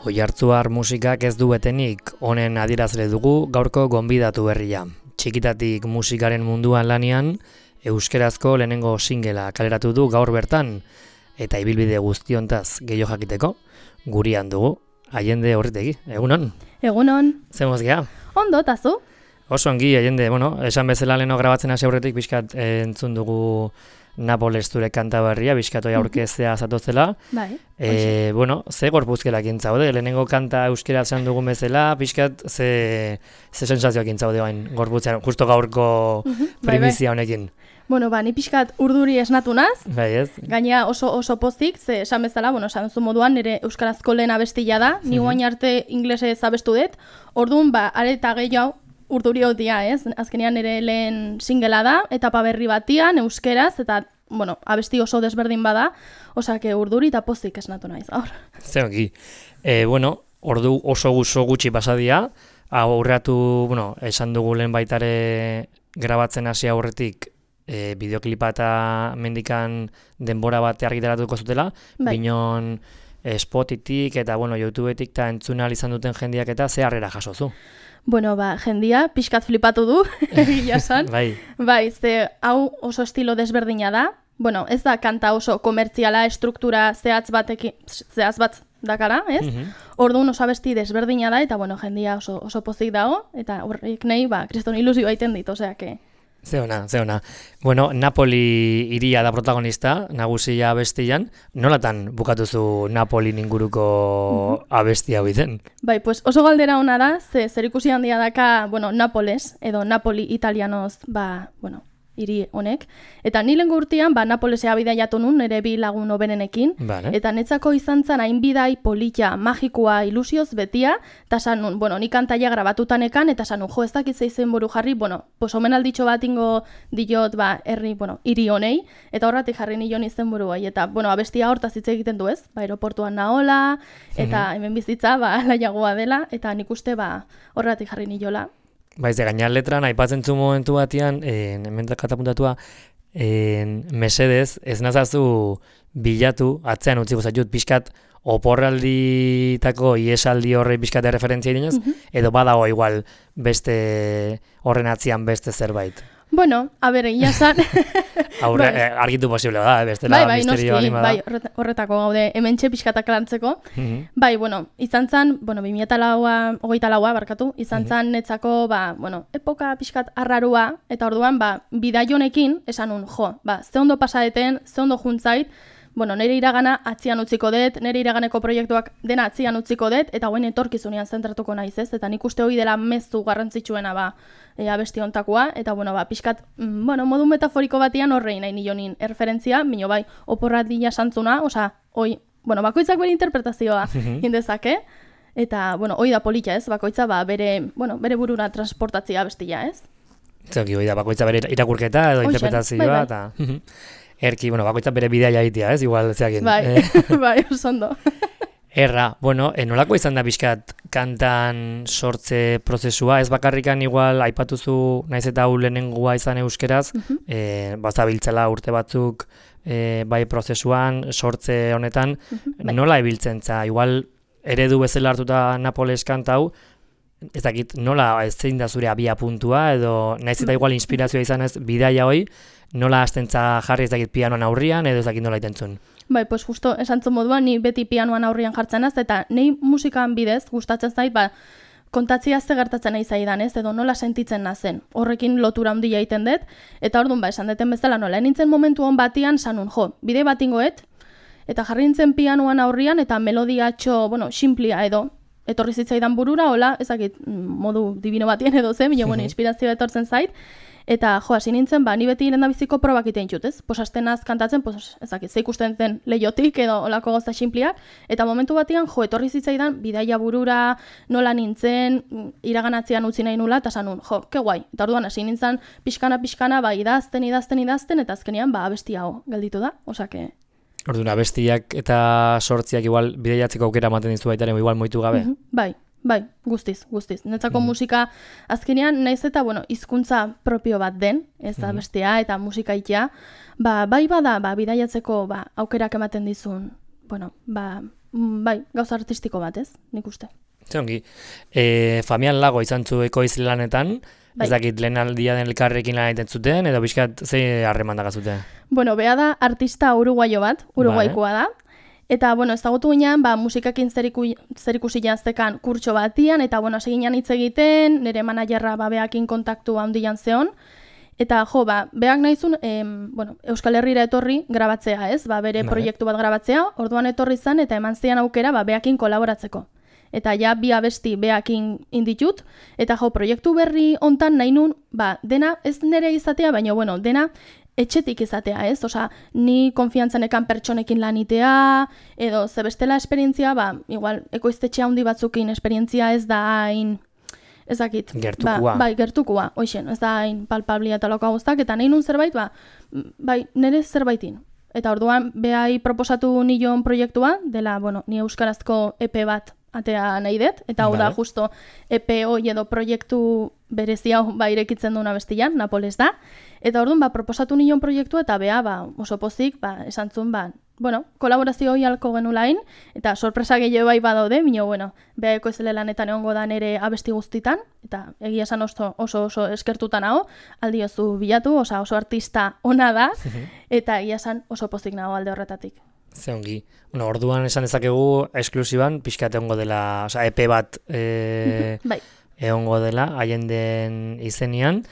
Oiartzuar musikak ez du betenik, honen adierazle dugu gaurko gonbidatu berria. Txikitatik musikaren munduan lanean, euskerazko lehenengo singela kaleratu du gaur bertan, eta ibilbide guztiontaz gehiago jakiteko, gurian dugu, Allende Orritegi. Egunon? Egunon. Zemoz geha? Ondo, tazu? Oso ongi, Allende, esan bezala leheno grabatzen hasi aurretik pixkat entzun dugu Napoles zure kanta berria, pixkat oi aurkeztea zatozela. Bai. Ze gorpuzkelak intzaude, lehenengo kanta euskera esan dugun bezala, pixkat ze sensazioak intzaude bain gorputzean, justo gaurko primizia honekin. Ni pixkat urduri esnatu naz, bai, ez? Gaina oso pozik, ze esan bezala, esan zu moduan, nire euskarazko lehen abestia da, ni guain arte inglesez abestu dut, orduan, areta gehiago, urduri hotia, ez? Azkenean nire lehen singela da, etapa berri batian, euskeraz, eta, abesti oso desberdin bada, osake urduri eta pozik esnatu naiz, aur. Zeongi. Ordu oso gutxi pasadia, aurreatu, esan dugu lehen baitare grabatzen hasi aurretik, bideoklipa eta mendikan denbora bat argitaratuko zutela, binon Spotitik eta YouTubetik eta entzuna izan duten jendiak eta ze harrera jasozu. Jendia pixkat flipatu du, egia san. Bai, ze hau oso estilo desberdina da. Ez da kanta oso komertziala, struktura zehatz bat dakara, ez? Orduan oso abesti desberdina da, eta jendia oso pozik dago, eta horrek nahi, kriston ilusio baiten dit, oseake. Zeona. Napoli iria da protagonista, nagusia abestian. Nolatan bukatuzu Napoli inguruko abesti hau izen? Oso galdera ona da, zer ikusi handia daka, Napoles, edo Napoli italianoz, hiri honek. Eta ni lehengo urtean, Napolesea bidaiatu nun, nire bi lagun oberenekin. Eta netzako izan zen hain bidai polita, magikoa, ilusioz betia, eta san nun, ni kantaia grabatutanekan, eta san nun, ez dakit zeizen buru jarri, omenalditxo bat ingo diot, herri, hiri honei, eta horratik jarri nion izen buru bai. Eta, abestia hortaz hitz egiten du ez, aeroportuan naola, eta hemen bizitza, laiagoa dela, eta nik uste, horratik jarri niola. Gainar letran, aipatzen zu momentu batian, hemen katapuntatua, mesedez, ez nazazu bilatu, atzean utziko zaitut, pixkat oporralditako iesaldi horre pixkat referentzia dinez, edo badago igual beste horren atzian beste zerbait. Egia zan. Argitu posible da, bestela misterio anima da. Horretako gaude, hemen txe pixkatak lantzeko. Izan zan, 2008a barkatu, izan zan netzako, epoka pixkat arrarua, eta orduan, bidai honekin, esan nun, ze ondo pasadeten, ze ondo juntzait, nire iragana atzian utziko dut, nire iraganeko proiektuak dena atzian utziko dut, eta guen etorkizunean zentratuko naiz ez, eta nik uste hori dela mezu garrantzitsuena abesti hontakoa, eta pixkat, modu metaforiko batian horrein nahi nionin erreferentzia, minio oporratia santzuna, bakoitzak bere interpretazioa indezake, eta, hori da polita ez, bakoitza bere burura transportatzia abestia ez. Zeuki, hori da, bakoitza bere irakurketa edo interpretazioa, eta... Erki, bakoitza bere bidea egitea, ez? Igual, zeakin. Oso ondo. Erra, nolako izan da pixkat kantan sortze prozesua, ez bakarrikan igual aipatuzu naiz eta hau lehenengoa izan euskeraz, bazabiltzela urte batzuk prozesuan, sortze honetan, nola ibiltzen za? Igual eredu bezala hartuta Napoles kanta hau, ez dakit nola zein da zure abia puntua, edo naiz eta igual inspirazioa izan ez bidaia hoi, nola hastentza jarri ez dakit pianoan aurrian, edo ez dakit nola itentzun? Justo esantzun moduan, ni beti pianoan aurrian jartzen az, eta nei musikan bidez gustatzen zait, kontatzia ze gertatzen nahi zaidan ez, edo nola sentitzen nazen. Horrekin lotura handia egiten dut, eta orduan esan deten bezala nola, nintzen momentu hon batian, sanun, bide bat ingoet, eta jarri nintzen pianoan aurrian, eta melodiatxo, simplia edo, etorri zitzaidan burura, hola, ezakit, modu divino batien edo zen, inspirazioa etortzen zait, eta hasi nintzen, ni beti lehendabiziko probak itein txut, ez? Astenaz kantatzen, ezakit, ze ikusten zen lehiotik edo olako gauza sinpliak, eta momentu batian, etorri zitzaidan, bidaia burura, nola nintzen, iraganatzean utzi nahi nula, eta sanun, ke guai. Eta orduan, hasi nintzen, pixkana, idazten, eta azkenean, abesti hau gelditu da, osake... Orduan, abestiak eta sortziak igual bideiatzeko aukera ematen dizu baitaren, igual moitu gabe? Bai, guztiz. Netzako musika azkenean naiz eta, hizkuntza propio bat den, ez da bestea, eta musika itea, bai bada, bidaiatzeko aukerak ematen dizun, bai, gauza artistiko bat, ez? Nik uste. Zongi, Famian Lago izan zu ekoizle lanetan, ez dakit lehen aldia den elkarrekin lan egiten zuten, edo bizkat ze harreman dagazute? Bea da artista uruguaio bat, uruguaikoa da, eta, ezagutu ginean, musikakin zerikusi jaztekan kurtso batian, eta, hasi ginean hitz egiten, nire manajerra beakin kontaktu handian zeon, eta, beak nahizun, Euskal Herrira etorri grabatzea, ez? Bere proiektu bat grabatzea, orduan etorri zen, eta eman zian aukera, beakin kolaboratzeko. Eta ja bi abesti beakin inditut, eta proiektu berri hontan nahi nun, dena ez nire izatea, baina, dena etxetik izatea, ez? Osa, ni konfiantzanekan pertsonekin lanitea, edo zebestela esperientzia, igual, ekoiztetxe handi batzukin esperientzia ez da hain, ez dakit. Gertukua. Gertukua, hoixen, ez da hain palpablia eta loka guztak, eta nahi nun zerbait, nire zerbaitin. Eta orduan, behai proposatu nion proiektua, dela, ni euskarazko EP bat atea nahi dut, eta hau da justo EPO edo proiektu berezi hau irekitzen duena bestian, Napoles da. Eta orduan, proposatu nion proiektua, eta oso pozik, esan zuen, kolaborazio hori halko genulain, eta sorpresa gehiago badaude, bea ekoizle lanetan egongo da nere abesti guztitan, eta egia esan oso eskertutan hau, aldiozu bilatu, oso artista ona da, eta egia esan oso pozik nago alde horretatik. Ze ongi. Orduan esan dezakegu esklusiban pixkat egongo dela, EP bat egongo dela, haien den izenian.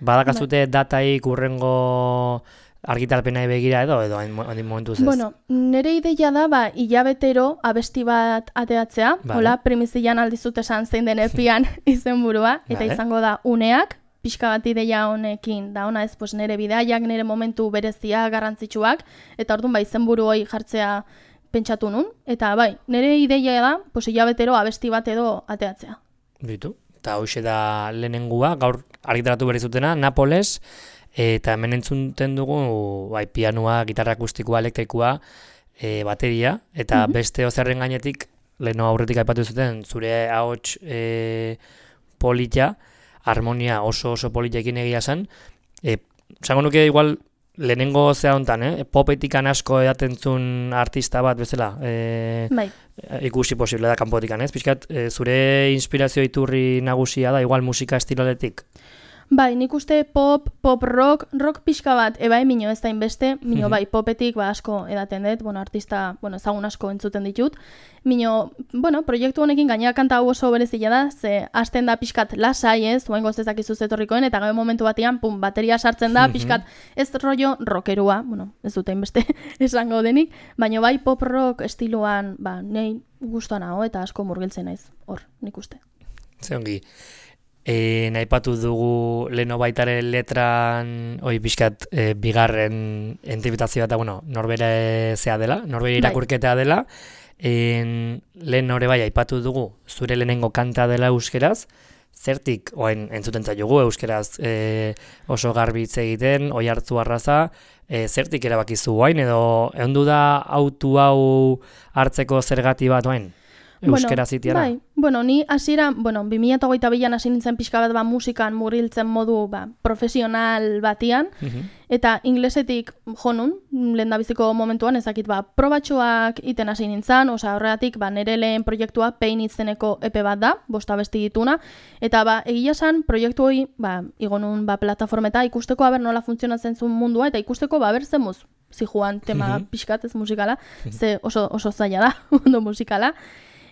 Badakazute dataik urrengo argitalpenai begira edo ondin momentuz ez? Nire ideia da, hilabetero abesti bat ateatzea, hola, primizian aldizut esan zein den epian izenburua, eta izango da uneak, pixka bat ideia honekin, da ona ez, nire bidaiak, nire momentu berezia, garrantzitsuak, eta orduan izenburu hori jartzea pentsatu nun, eta nire ideia da, hilabetero abesti bat edo ateatzea. Bitu, eta hoxe da lehenengua, gaur argitaratu berri zutena, Napoles, eta hemen entzunten dugu pianoa, gitarra akustikoa, elektrikoa, bateria, eta beste ozerren gainetik, leheno aurretik aipatu zuten, zure ahots polita, harmonia oso politekin egia zen. Zango nuke igual lehenengo zea honetan, popetikan asko edaten zuen artista bat bezala, ikusi posible da kanpotikan, ez? Piskat, zure inspirazio iturri nagusia da, igual musika estiloletik? Nik uste pop rock pixka bat, mino ez da inbeste, mino popetik asko edaten dut, artista, ezagun asko entzuten ditut. Mino, proiektu honekin gainera kanta hau oso berezila da, ze hasten da pixkat lasai ez, zuen gozezak izuz etorrikoen, eta gabe momentu batean, bateria sartzen da, pixkat ez rollo rockerua, ez dute inbeste esango denik, baina pop rock estiloan, nahi guztuan hau, eta asko murgiltzen naiz, hor, nik uste. Zeongi. Naipatu dugu leheno baitaren letran pixkat bigarren entibitazioa eta norbere zea dela, norbere irakurketea dela. Lehen hori aipatu dugu zure lehenengo kanta dela euskeraz, zertik oain entzuten zaitugu euskeraz oso garbitz egiten, oi hartzu arraza, zertik erabakizu oain edo egondu da autu hau hartzeko zergati bat oain? Euskera zitiara? Ni hasiera, 2022an hasi nintzen pixka bat musikan murgiltzen modu profesional batian, eta inglesetik jonun, lehendabiziko momentuan, ezakit probatxoak iten hasi nintzen, horregatik nire lehen proiektua Pain izeneko EP bat da, 5 abesti dituna, eta egia esan proiektu hori, igonun plataformeta ikusteko nola funtzionatzen zuen mundua, eta ikusteko berzemuz zijuan tema pixkat ez musikala, ze oso zaila da, ondo musikala.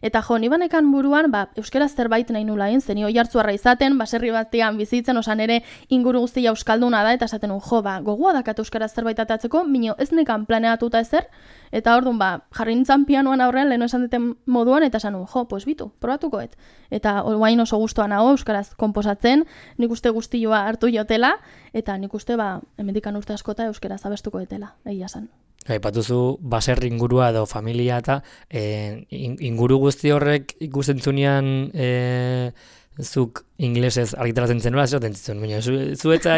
Eta ni banekan buruan, euskaraz zerbait nahi nulain, zeni oi hartzuarra izaten, baserri batean bizitzen, nere inguru guztia euskalduna da, eta esaten gogoa dakat euskaraz zerbait atatzeko, mino ez nekan planeatuta ezer, eta orduan, jarri nintzen pianoan aurrean, leheno esan duten moduan, eta esan bitu, probatukoet. Eta guain oso gustuan nago euskaraz komposatzen, nik uste guztioa hartu jotela, eta nik uste, hemendikan urte askota euskaraz abestuko etela, egia esan. Aipatuzu baserri ingurua edo familia eta inguru guzti horrek ikusten zunean zuk inglesez argitaratzen zenula, esaten zitzun, baina zuetza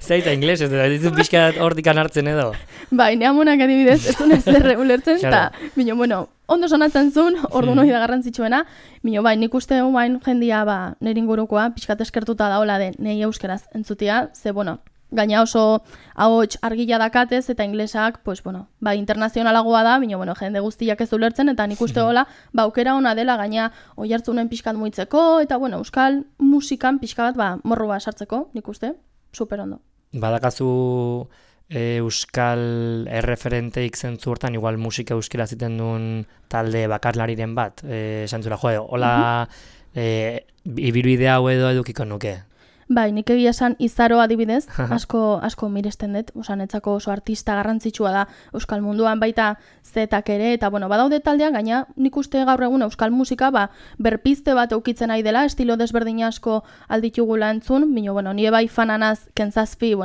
zaita inglesez, eta ditu pixka hortikan hartzen edo. Bai, neamonak adibidez, ez duen zer ulertzen, eta, bino, bueno, ondo sonatzen zuen, ordu hori da garrantzitsuena, bino, bai, nik uste bain jendia, nire ingurukoa, pixkat eskertuta daola de nahi euskeraz entzutia, ze, bueno, gaina oso ahots argila dakatez eta inglesak, pues, bueno, internazionalagoa da, bino, bueno, jende guztiak ez ulertzen, eta nik uste hola, aukera ona dela, gaina oihartzunen pixkat muitzeko, eta, bueno, euskal musikan pixka bat, morrua sartzeko, nik uste, super ondo. Badakazu euskal erreferenteik zentzu hortan, igual musika euskera ziten duen talde bakarlariren bat, esantzula, hola, ibirubide hau edo edukiko nuke. Bai, nik egia esan Izaro adibidez, asko miresten dut, netzako oso artista garrantzitsua da euskal munduan, baita zetak ere, eta bueno, badaude taldean, gaina nik uste gaur egun euskal musika, berpizte bat eukitzen nahi dela, estilo desberdin asko alditugula entzun, bino, bueno, nire bai fananaz kentzazpi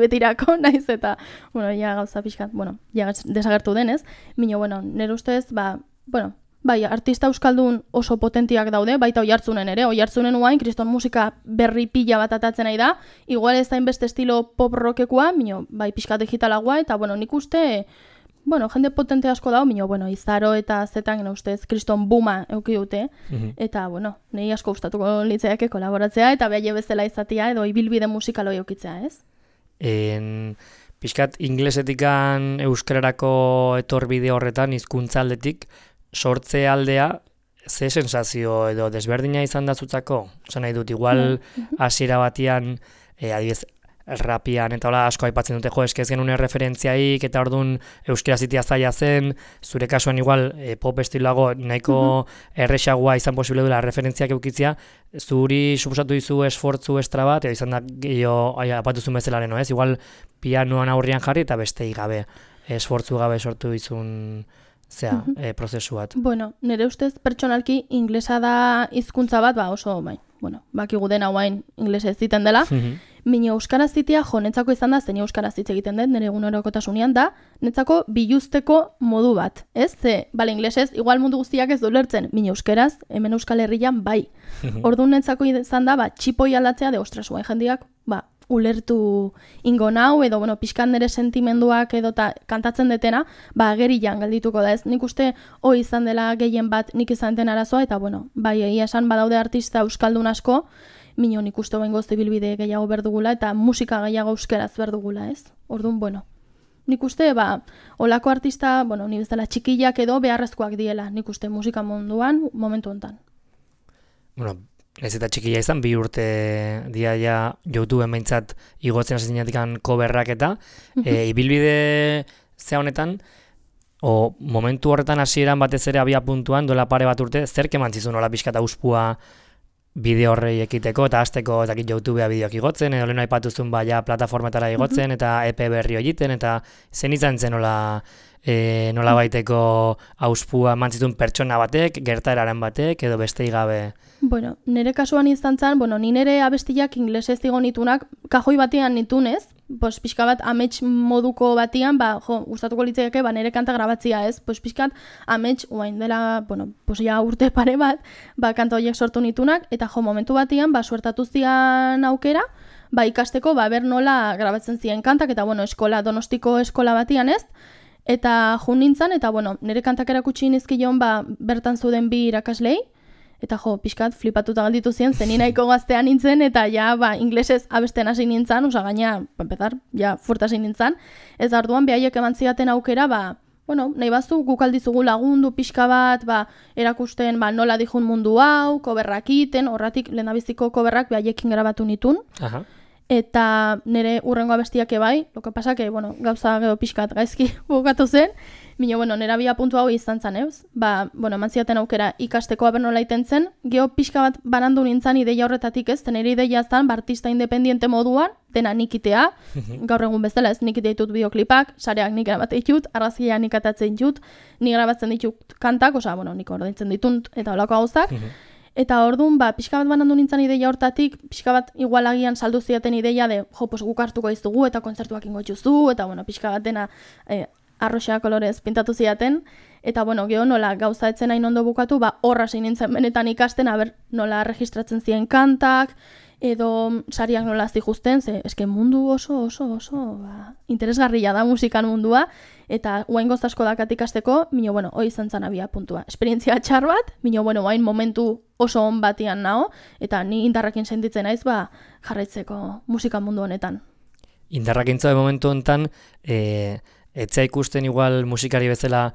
betirako, naiz, eta, bueno, ja gauza pixkat, bueno, ja desagertu denez, bino, bueno, nire ustez, bueno, bai, artista euskaldun oso potentiak daude, baita Oihartzunen ere, Oihartzunen uain, kriston musika berri pila bat atatzen nahi da, igual ez da inbeste estilo pop rockekua, mino, bai, pixka digitalagoa, eta, bueno, nik uste, bueno, jende potente asko dago, mino, bueno, Izaro eta Zetan, gena ustez, kriston buma euki dute, eta, bueno, nahi asko gustatuko litzaiake kolaboratzea, eta behaile bezala izatea, edo ibilbide musikaloi eukitzea, ez? Pixkat, inglesetikan euskararako etorbide horretan, hizkuntza aldetik, sortze aldea, ze sensazio edo desberdina izan da zutzako? Osa nahi dut, igual hasiera batian, adibidez, rapian eta hola asko aipatzen dute, eske ez genuen referentziaik eta orduan euskera zitia zaila zen, zure kasuan igual pop estiloago nahiko erresagoa izan posible duela referentziak eukitzea, zuri suposatu dizu esfortzu estra bat, edo izan da gehiago apatuzun bezalaren, ez? Igual pianoan aurrian jarri eta bestei gabe, esfortzu gabe sortu dizun prozesu bat. Bueno, nire ustez pertsonalki inglesa da hizkuntza bat, oso, bueno, bakigu dena guain inglesez ziten dela, mino euskaraz zitea netzako izan da, zen euskaraz hitz egiten dut, nire egunerokotasunean da, netzako biluzteko modu bat, ez? Ze, inglesez, igual mundu guztiak ez ulertzen, mino euskaraz, hemen Euskal Herrian bai. Orduan netzako izan da, txipoi aldatzea de ostras, guain jendiak, ulertu ingo nau, edo, bueno, pixkan nire sentimenduak edo kantatzen detena, agerian galdituko da ez. Nik uste hoi izan dela gehien bat nik izan den arazoa, eta, bueno, egia esan badaude artista euskaldun asko, mino nik uste behin gozte bilbide gehiago berdugula, eta musika gehiago euskeraz berdugula ez. Orduan, bueno, nik uste, olako artista, bueno, ni bezala txikillak edo beharrezkoak diela, nik uste musika munduan, momentu honetan. Bueno, ez eta txikia izan, 2 urte diaia YouTubeen behintzat igotzen hasi zinatikan coverrak eta ibilbide zea honetan, momentu horretan hasieran batez ere abia puntuan, dola pare bat urte, zerk emantzizun hola pixka eta uspua bideo horrei ekiteko, eta hasteko YouTubea bideoak igotzen, edo lehen aipatuzun plataformetara igotzen, eta EP berri egiten, eta zen izan zen nola baiteko auspua mantzitun pertsona batek, gertaeraren batek, edo bestei gabe. Bueno, nire kasuan izan zen, ni nire abestiak inglesez digo nitunak, kajoi batean nitunez, pixka bat amets moduko batian, gustatuko litzaiake, nire kanta grabatzia ez, pixkat amets, uain dela, ja urte pare bat, kanta horiek sortu nitunak, eta momentu batian, suertatu zian aukera, ikasteko, ber nola grabatzen ziren kantak, eta Donostiko eskola batian ez, eta jun nintzen, eta nire kantak erakutsi nizkion, bertan zuden 2 irakaslei, eta pixkat flipatuta galditu ziren, zen nahiko gaztean nintzen, eta inglesez abesten hasi nintzen, gaina, empezar, fuerte hasi nintzen, ez arduan behaiek eman zidaten aukera, nahi bazu guk aldizugu lagundu pixka bat, erakusten nola dijun mundu hau, koberrak iten, horratik lehendabiziko koberrak behaiekin grabatu nitun, eta nire urrengo abestiak ebai, lo que pasa que, gauza gero pixkat gaizki bukatu zen, mino, nire abia puntu hau izan zen, eus? Eman zidaten aukera ikasteko aber nola iten zen, geho pixka bat banandu nintzen ideia horretatik ez, nire ideia zen, artista independiente moduan, dena nikitea, gaur egun bezala ez, nikitea ditut bideoklipak, sareak nik grabate ditut, argazkia nik atatzen ditut, nik grabatzen ditut kantak, nik ordaintzen ditut, eta holako gauzak, eta orduan, pixka bat banandu nintzen ideia hortatik, pixka bat igualagian saldu ziaten ideia de, guk hartuko izugu eta kontzertuak ingo itxuzu, eta pixka bat dena arroxa kolorez pintatu ziaten, eta bueno, geho nola gauza etzen hain ondo bukatu, hor hasi nintzen benetan ikasten, nola registratzen ziren kantak, edo sariak nola zijusten, eske mundu oso interesgarria da musikan mundua, eta oaingoz asko dakat ikasteko, bueno, hoi izan zan abia puntua. Esperientzia txar bat, bueno, hain momentu oso on batian nao, eta ni indarrakin sentitzen naiz, jarraitzeko musika mundu honetan. Indarrakintza momentu honetan, etzea ikusten igual musikari bezala,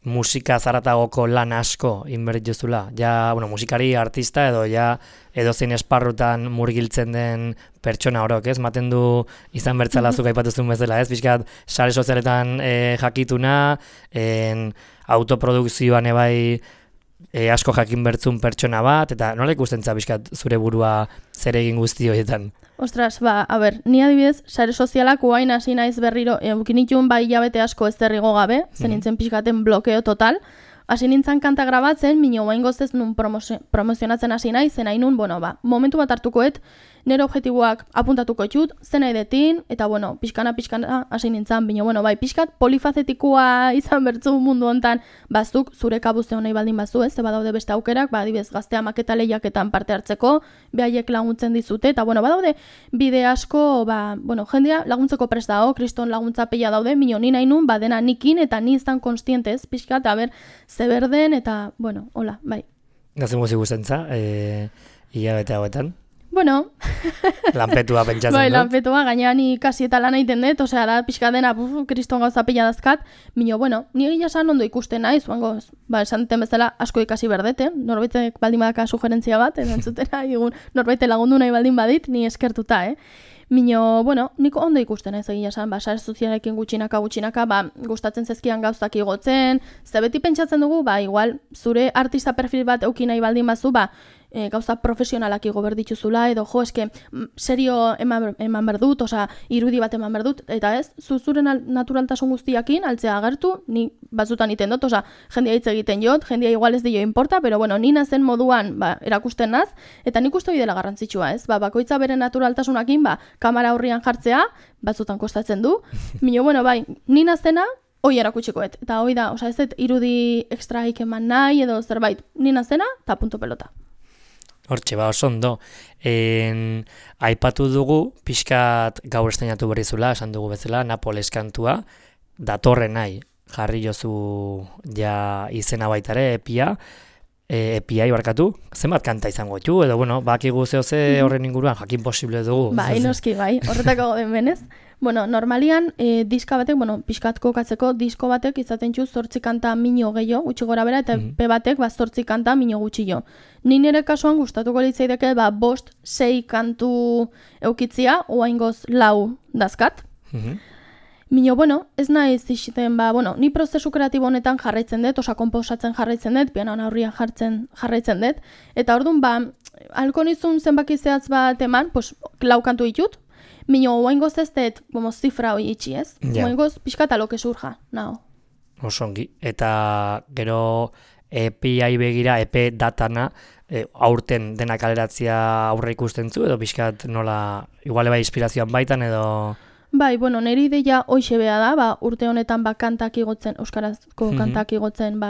musika zaratagoko lan asko inbertit jozula. Ja, bueno, musikari, artista edo zein esparrutan murgiltzen den pertsona orok, ez? Maten du izan bertzala zuk aipatuzun bezala, ez? Pixkat, sare sozialetan jakituna, autoprodukzioan ebai asko jakin bertzun pertsona bat, eta nola ikusten za pixkat zure burua zer egin guzti horietan? Ostras, ni adibidez, sare sozialak uain hasi naiz berriro, eukinitun hilabete asko ez derrigo gabe, zen nintzen pixkaten blokeo total, hasi nintzen kanta grabatzen, minio uain goztez nun promozionatzen hasi naiz, zen hain nun, momentu bat hartukoet, nire objektiboak apuntatuko txut, zen nahi detin, eta pixkana hasi nintzen, pixkat polifazetikoa izan bertzu mundu hontan, bazuk zure kabuzte honei baldin bazu, ez, badaude beste aukerak, adibidez gaztea maketa lehiaketan parte hartzeko, behaiek laguntzen dizute, eta badaude bide asko, jendea laguntzeko prest dago, kriston laguntza peia daude, minio ni nahi nun, dena nikin, eta ni izan konstientez, pixkat, zeberden, eta, hola, bai. Gazen guzi guztentza, hilabete hauetan? Bueno. Lanpetua pentsatzen dut. Lanpetua, gainean ikasi eta lan egiten dut, osea, da pixka dena, kriston gauza pila dazkat, ni egia esan ondo ikusten naiz, esan duten bezala asko ikasi berdete, norbaitek baldin badaka sugerentzia bat, entzutera, norbaite lagundu nahi baldin badit, ni eskertuta, nik ondo ikusten ez egia esan, sare sozialekin gutxinaka, gustatzen zezkian gauzak igotzen, beti pentsatzen dugu, igual, zure artista perfil bat euki nahi baldin bazu, gauza profesionalak igo berdituzula, edo eske serio eman berdut, irudi bat eman berdut, eta ez, zure naturaltasun guztiakin, altzea agertu, ni batzutan iten dut, jendea hitz egiten jot, jendea igual ez dio inporta, pero ni nazen moduan erakusten naz, eta nik uste hori dela garrantzitsua, ez, bakoitza bere naturaltasunakin, kamera aurrian jartzea, batzutan kostatzen du, ni nazena, hoi erakutsikoet, eta hoi da, ez dut irudi ekstraik eman nahi, edo zerbait, ni nazena, eta punto pelota. Hortxe, oso ondo. Aipatu dugu, pixkat gaur esteinatu berrizula, esan dugu bezala, Napoles kantua, datorren nahi, jarri jozu ja izena baitare, epiai barkatu, zenbat kanta izango txu, edo, bakigu ze horren inguruan, jakin posible dugu. Noski, horretako den benez. Normalian, diska batek, pixkat kokatzeko, disko batek izaten txu 8 kanta mino gehiago, gutxi gora bera, eta P batek 8 kanta mino gutxi jo. Ni nire kasuan gustatuko litzaideke, 5-6 kantu eukitzia, oaingoz 4 dazkat. Mino, ez nahi zixiten, ni prozesu kreatibo honetan jarraitzen dut, komposatzen jarraitzen dut, pianoan aurrian jarraitzen dut, eta orduan, halko nizun zenbaki zehatz bat eman, 4 kantu ditut, Mino, oaingoz ez dut, zifra hoi itxi, ez? Oaingoz pixkat aloke surja, nao. Osongi, eta gero EPI begira, EP datana, aurten dena kaleratzia aurre ikusten zu, edo pixkat nola, iguale inspirazioan baitan, edo... nire ideia hoxe beha da, urte honetan kantak igotzen, euskarazko kantak igotzen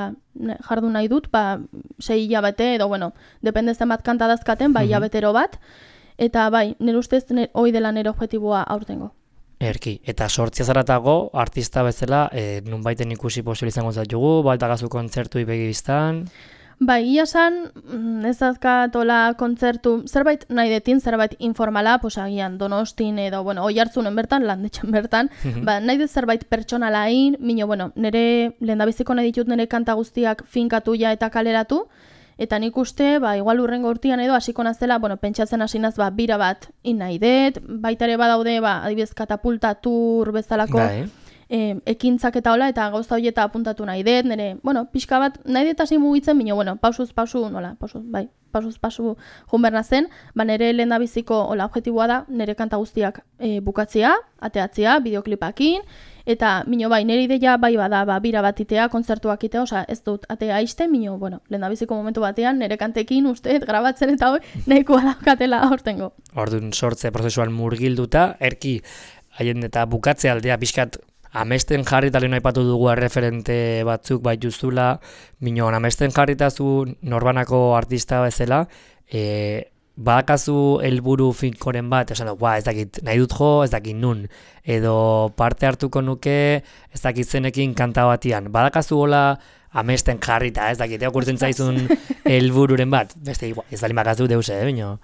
jardu nahi dut, 6 hilabete, edo, dependezen bat kanta dazkaten, hilabetero bat, eta nire ustez hoi dela nire objektiboa aurtengo. Erki, eta sortzia zaratago, artista bezala, nun baiten ikusi posible izango zatugu, baltagazu kontzertu ibegiztan? Ia san, ez dazkatola kontzertu, zerbait nahi detin, zerbait informala, agian Donostin edo, oi hartzunen bertan, landetxan bertan, nahi dut zerbait pertsonalain, nire lehendabiziko nahi ditut nire kanta guztiak finkatu ja eta kaleratu, eta nik uste, igual urrengo urtean edo hasiko nazela, pentsatzen hasi naz, bira bat nahi dut, baita ere badaude, adibidez katapulta tur bezalako ekintzak eta hola, eta gauza horieta apuntatu nahi dut, nire, pixka bat nahi dut hasi mugitzen, pausuz, junberna zen, nire lehendabiziko objektiboa da, nire kanta guztiak bukatzea, ateatzea, bideoklipakin, eta nire ideia bada, bira bat itea, kontzertuak itea, ez dut atea aiste, lehendabiziko momentu batean, nire kantekin usteet grabatzen eta hori, nahikoa daukatela hortengo. Orduan sortze prozesuan murgilduta, erki, haien eta bukatze aldea pixkat amesten jarrita lehen aipatu dugu referente batzuk baituzula, minon amesten jarrita zu norbanako artista bezala, badakazu helburu finkoren bat, esan ez dakit nahi dut jo, ez dakit nun, edo parte hartuko nuke, ez dakit zenekin kanta batian, badakazu hola amesten jarrita, ez dakit, okurtzen zaizun helbururen bat, beste ez bali makazu deuse, bino?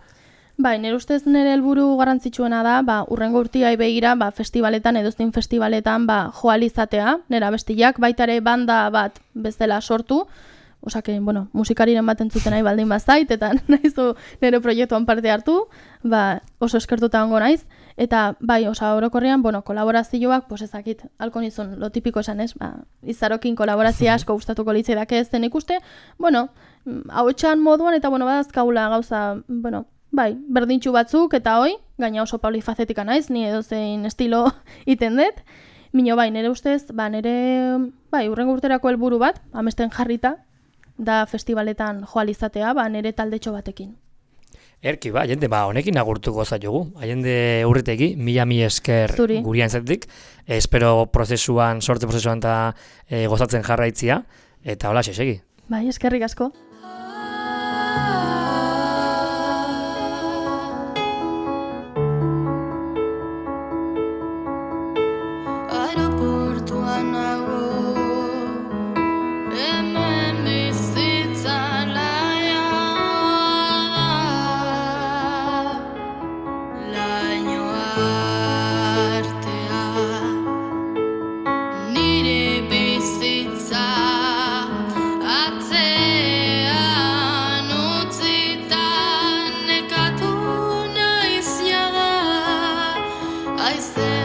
Bai, nire ustez nire helburu garrantzitsuena da, urrengo urtiai begira, festivaletan, edoztin festivaletan, joal izatea, nire abestiak, baitare banda bat bezala sortu, osake, musikariren bat entzuten nahi baldin bazait, eta nahizu nire proiektuan parte hartu, oso eskertuta ongo naiz, eta bai, orokorrean, kolaborazioak, ezakit, halko nizun, lo tipiko esan ez, izarokin kolaborazia asko gustatuko litzaidak ez zen ikuste, hau etxan moduan, eta badazkaula gauza, bai, berdintxu batzuk, eta gaina oso polifazetika naiz, ni edozein estilo iten dut, mino bai, nire ustez, urrengo urterako helburu bat, amesten jarrita, da festivaletan joal izatea, nire taldetxo batekin. Erki, jende, honekin agurtuko zaitugu. Jende urritegi, mila esker gurian zetik. Espero sortze prozesuan eta gozatzen jarraitzia. Eta hola, segi. Bai, eskerrik asko. I said